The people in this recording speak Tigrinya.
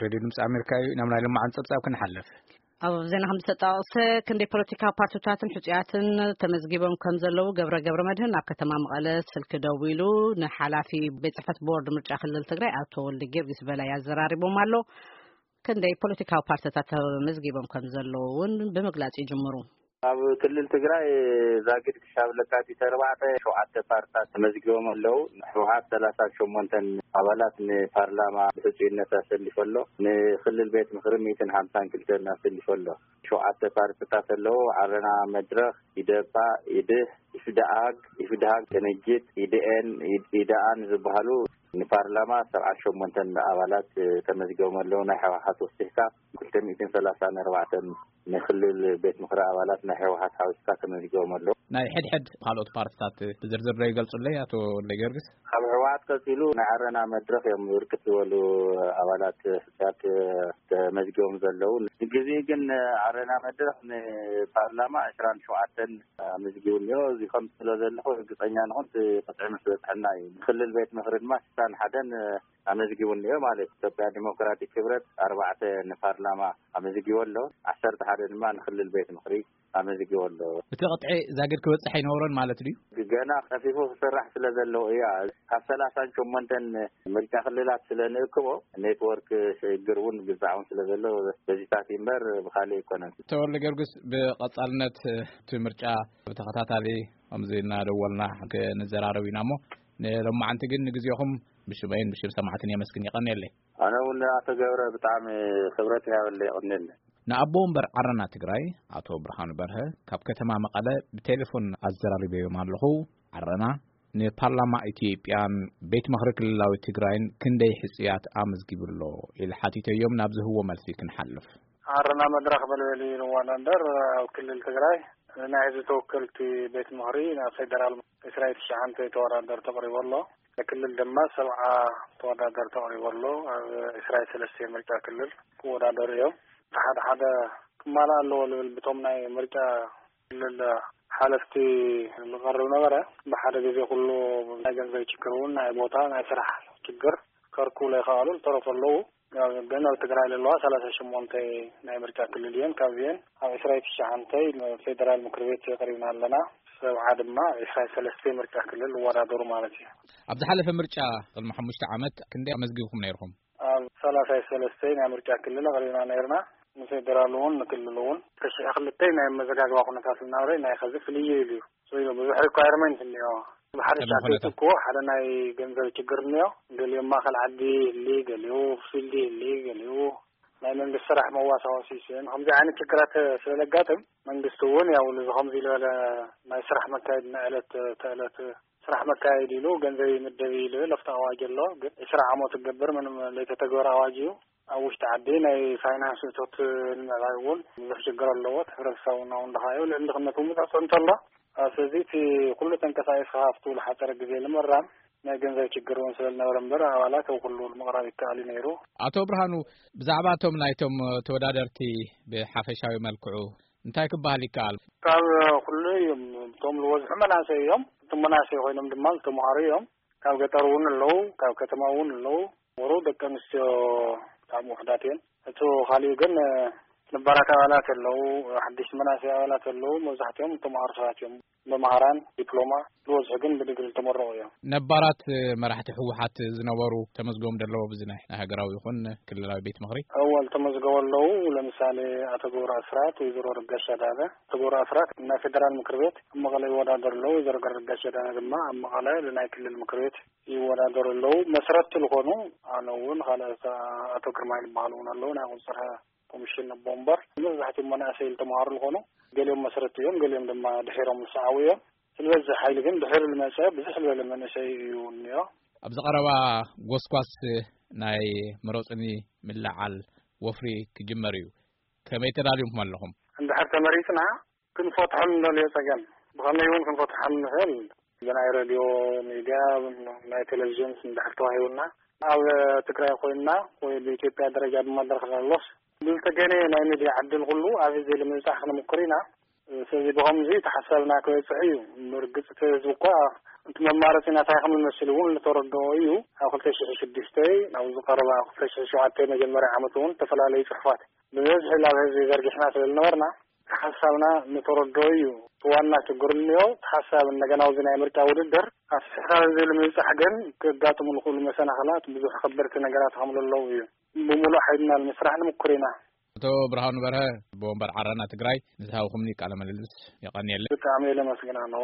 ሬድዮ ድምፂ ኣሜሪካ እዩ። ናብ ናይ ልማዓን ፀብፃብ ክንሓልፍ። ኣብ ዜና ከም ዝተጠቕሰ፣ ክንደይ ፖለቲካዊ ፓርቲታትን ሕፁያትን ተመዝጊቦም ከም ዘለዉ ገብረ ገብረ መድህን ኣብ ከተማ መቐለ ስልኪ ደዊሉ ንሓላፊ ቤት ጽሕፈት ቦርድ ምርጫ ክልል ትግራይ ኣቶ ወልደ ጊዮርጊስ በላይ ኣዘራሪቦም ኣሎ። ክንደይ ፖለቲካዊ ፓርቲታት ተመዝጊቦም ከም ዘለዉ እውን ብምግላጽ ይጅምሩ። ኣብ ክልል ትግራይ ዛግድ ክሻብ ለካቲት ኣርባዕተ ሸውዓተ ፓርቲታት ተመዝጊቦም ኣለዉ። ህወሓት ሰላሳ ሸሞንተን ኣባላት ንፓርላማ ብሕፁይነት ኣሰሊፉ ኣሎ። ንክልል ቤት ምኽሪ ሚእትን ሓምሳን ክልተን ኣሰሊፉ ኣሎ። ሸውዓተ ፓርቲታት ኣለዉ። ዓረና፣ መድረኽ፣ ኢደፓ፣ ኢድህ፣ ኢፍድሃግ፣ ኢፍድሃግ፣ ቅንጅት፣ ኢድኤን፣ ኢድ-፣ ኢድኣን ዝበሃሉ ንፓርላማ ሰብዓን ሸሞንተን ኣባላት ተመዝጊቦም ኣለዉ። ናይ ህወሓት ወሲኽካ ክልተ ሚእትን ሰላሳን ኣርባዕተን ንክልል ቤት ምኽሪ ኣባላት ናይ ህወሓት ሓዊስካ ተመዝጊቦም ኣለዉ። ናይ ሕድሕድ ካልኦት ፓርቲታት ብዝርዝር ዶ ይገልጹለይ ኣቶ ወልደ ጊዮርጊስ? ካብ ህወሓት ቀጺሉ ናይ ዓረና መድረኽ እዮም ብርክት ዝበሉ ኣባላት ሕጹያት ተመዝጊቦም ዘለዉ። ንግዜኡ ግን ዓረና መድረኽ ንፓርላማ ዕስራን ሸውዓተን ኣመዝጊቡ እኒኦ። እዚ ከም ስለ ዘለኹ ርግጸኛ ንኹን እቲ ቅጥዒ ምስ በጽሐና እዩ። ንክልል ቤት ምኽሪ ድማ ስሳን ሓደን ኣመዝጊቡ እኒኦ ማለት ኢትዮጵያ ዲሞክራቲክ ህብረት ኣርባዕተ ንፓርላማ ኣመዝጊቡ ኣሎ። ዓሰርተ ሓደ ድማ ንክልል ቤት ምኽሪ ኣመዝጊቡ ኣሎ። እቲ ቅጥዒ ዛግድ ክበጽሕ ኣይነበሮን ማለት ድዩ? ገና ቀፊፉ ክስራሕ ስለ ዘለዎ እያ። ካብ ሰላሳን ሸሞንተን ምርጫ ክልላት ስለ ንእክቦ ኔትወርክ ሽግር እውን ግዛዕ እውን ስለ ዘሎ በዚታት እዩ እምበር ብኻልእ ኣይኮነን። ተወልደ ጊዮርጊስ፣ ብቐጻልነት እቲ ምርጫ ብተኸታታሊ ከምዚ እናደወልና ክንዘራረብ ኢና እሞ ንሎማዓንቲ ግን ንግዜኹም ብሽመይን ብሽም ሰማዕትን የመስግን። የቐንየለይ። ኣነ እውን ኣቶ ገብረ ብጣዕሚ ክብረት ይሃበለይ፣ የቐንየለይ። ንኣቦ ወንበር ዓረና ትግራይ ኣቶ ብርሃኑ በርሀ ካብ ከተማ መቐለ ብቴሌፎን ኣዘራሪበዮም ኣለኹ። ዓረና ንፓርላማ ኢትዮጵያን ቤት ምኽሪ ክልላዊ ትግራይን ክንደይ ሕጽያት ኣመዝጊቡ ኣሎ ኢለ ሓቲተዮም፣ ናብ ዝህቦ መልሲ ክንሓልፍ። ዓረና መድረኽ በልበሊ ንወዳደር ኣብ ክልል ትግራይ ናይ ህዝቢ ተወከልቲ ቤት ምኽሪ ናብ ፌደራል ዕስራ ትሽዓተ ተወዳደርቲ ኣቕሪቡ ኣሎ። ክልል ድማ ሰብዓ ተወዳደርቲ ኣቕሪቡ ኣሎ። ኣብ ዕስራ ሰለስተ ምርጫ ክልል ክወዳደሩ እዮም። ሓደ ሓደ ክማላእ ኣለዎ ልብል ብቶም ናይ ምርጫ ክልል ሓለፍቲ ዝቐርብ ነበረ። ብሓደ ግዜ ኩሉ ናይ ገንዘብ ችግር እውን ናይ ቦታ ናይ ስራሕ ችግር ከርክቡ ዘይከኣሉ ዝተረፉ ኣለዉ። ግን ኣብ ትግራይ ዘለዋ ሰላሳ ሸሞንተ ናይ ምርጫ ክልል እየን። ካብዚአን ኣብ ዕስራ ትሽዓተ ፌደራል ምክር ቤት ቀሪብና ኣለና። ሰብዓ ድማ ዕስራ ሰለስተ ምርጫ ክልል ይወዳደሩ ማለት እዩ። ኣብ ዝሓለፈ ምርጫ ቅድሚ ሓሙሽተ ዓመት ክንደይ ኣመዝጊብኩም ነይርኩም? ኣብ ሰላሳ ሰለስተ ናይ ምርጫ ክልል ኣቕሪብና ነይርና። ንፌደራል እውን ንክልል እውን ክልተ ሺሕ ክልተ ናይ መዘጋግባ ኩነታት ዝነበረ ናይ ኸዚ ፍልይ ኢሉ እዩ። So ብዙሕ ሪኳየርመንት እኒኦ። ብሓደ ቅድመ ሻርተት ኩነታት። እኮ ሓደ ናይ ገንዘብ ችግር እኒኦ። ገሊኦም ማእኸል ዓዲ ይህሊ፣ ገሊኡ ፊልድ ይህሊ፣ ገሊኡ ናይ መንግስቲ ስራሕ መዋሳወሲ ይስእን። ከምዚ ዓይነት ችግራት ስለ ዘጋጥም መንግስቲ እውን ያው እዚ ከምዚ ዝበለ ናይ ስራሕ መካየድ ናይ ዕለት ተዕለት ስራሕ መካየዲ ኢሉ ገንዘብ ይምደብ ኢሉ ለፍቲ ኣዋጅ ኣሎ። ግን ዕስራ ዓመት ክገብር ምንም ዘይተተግበረ ኣዋጅ እዩ። ኣብ ውሽጢ ዓዲ ናይ ፋይናንስ እቶት ንምዕባይ እውን ብዙሕ ችግር ኣለዎ። እቲ ሕብረተሰብ እውን እውን ደኻዮ ልዕሊ ድኽነት እውን ብፅዕፅዕ እንተሎ፣ ስለዚ እቲ ኩሉ ተንቀሳቂስካ ኣብቲ ዝሓፀረ ግዜ ንምእራም ናይ ገንዘብ ችግር እውን ስለ ዝነበረ እምበር ኣባላት ኣብ ኩሉ ንምቕራብ ይከኣል እዩ ነይሩ። ኣቶ ብርሃኑ፣ ብዛዕባ እቶም ናይቶም ተወዳደርቲ ብሓፈሻዊ መልክዑ እንታይ ክበሃል ይከኣል? ካብ ኩሉ እዮም። እቶም ዝበዝሑ መናእሰይ እዮም። እቶም መናእሰይ ኮይኖም ድማ ዝተምሃሩ እዮም። ካብ ገጠር እውን ኣለዉ፣ ካብ ከተማ እውን ኣለዉ። ወሩ ደቂ ኣንስትዮ ብጣዕሚ ውሑዳት እየን። እቲ ካሊኡ ግን ነባራት ኣባላት ኣለዉ፣ ሓደሽቲ መናእሰይ ኣባላት ኣለዉ። መብዛሕትኦም ተምሃሩ ሰባት እዮም። መምሃራን ዲፕሎማ፣ ዝበዝሑ ግን ብዲግሪ ዝተመረቑ እዮም። ነባራት መራሕቲ ህወሓት ዝነበሩ ተመዝገቦም ደለዎ ብዚ ናይ ናይ ሃገራዊ ይኹን ክልላዊ ቤት ምኽሪ? እወ፣ ዝተመዝገቡ ኣለዉ። ለምሳሌ ኣቶ ገብሩ ኣስራት፣ ወይዘሮ ርጋሽ ኣዳነ። ኣቶ ገብሩ ኣስራት ናይ ፌደራል ምክር ቤት ኣብ መቐለ ይወዳደሩ ኣለዉ። ወይዘሮ ርጋሽ ኣዳነ ድማ ኣብ መቐለ ንናይ ክልል ምክር ቤት ይወዳደሩ ኣለዉ። መስረቲ ዝኾኑ ኣነ እውን ካልኦት ኣቶ ግርማይ ዝበሃሉ እውን ኣለዉ፣ ናይ ቁፅሪ ኮሚሽን ኣቦ ወንበር። መብዛሕትኦም መናእሰይ ዝተምሃሩ ዝኾኑ፣ ገሊኦም መስረቲ እዮም፣ ገሊኦም ድማ ድሒሮም ዝሰዓቡ እዮም። ዝበዝሕ ሓይሊ ግን ድሒሩ ዝመፀ ብዝሕ ዝበለ መንእሰይ እዩ እኒኦ። ኣብዚ ቀረባ ጎስጓስ ናይ ምረፁኒ ምልዓል ወፍሪ ክጅመር እዩ። ከመይ ተዳልዩኩም ኣለኹም? እንድሕር ተመሪፅና ክንፈትሖ እንደልዮ ፀገም ብኸመይ እውን ክንፈትሖ ንኽእል። ብናይ ሬድዮ ሚድያ፣ ናይ ቴሌቪዥን እንድሕር ተዋሂቡና፣ ኣብ ትግራይ ኮይንና ወይ ብኢትዮጵያ ደረጃ ብመድረኽ ዘሎስ ብዝተገነ ናይ ሚድያ ዕድል ኩሉ ኣብ ህዝቢ ንምብፃሕ ክንምክር ኢና። ስለዚ ብኸምዚ ተሓሳብና ክበፅሕ እዩ። ብርግፅ እቲ ህዝቢ እኳ እቲ መማረፂና እንታይ ከም ንመስል እውን ዝተረድኦ እዩ። ኣብ ክልተ ሽሕ ሽዱሽተ፣ ኣብ ዝቐረበ ኣብ ክልተ ሽሕ ሸውዓተ መጀመርያ ዓመት እውን ዝተፈላለዩ ፅሑፋት ብብዝሒ ናብ ህዝቢ ዘርጊሕና ስለ ዝነበርና፣ ሓሳብና ንተረድኦ እዩ። እቲ ዋና ችግር እኒኦ፣ እቲ ሓሳብ እንደገና ኣብዚ ናይ ምርጫ ውድድር ኣስፍሕካ ዝብል ምብፃሕ ግን ክጋጥሙ ዝኽእሉ መሰናኽላት ብዙሕ ከበድቲ ነገራት ከም ዘለዉ እዩ። ብምሉእ ሓይልና ንምስራሕ ንምኩር ኢና። ኣቶ ብርሃኑ በርሀ፣ ብወንበር ዓረና ትግራይ ንዝሃብኹምኒ ቃለ ምልልስ የቐንየለይ። ብጣዕሚ እየ ለመስግን ኣለኹም።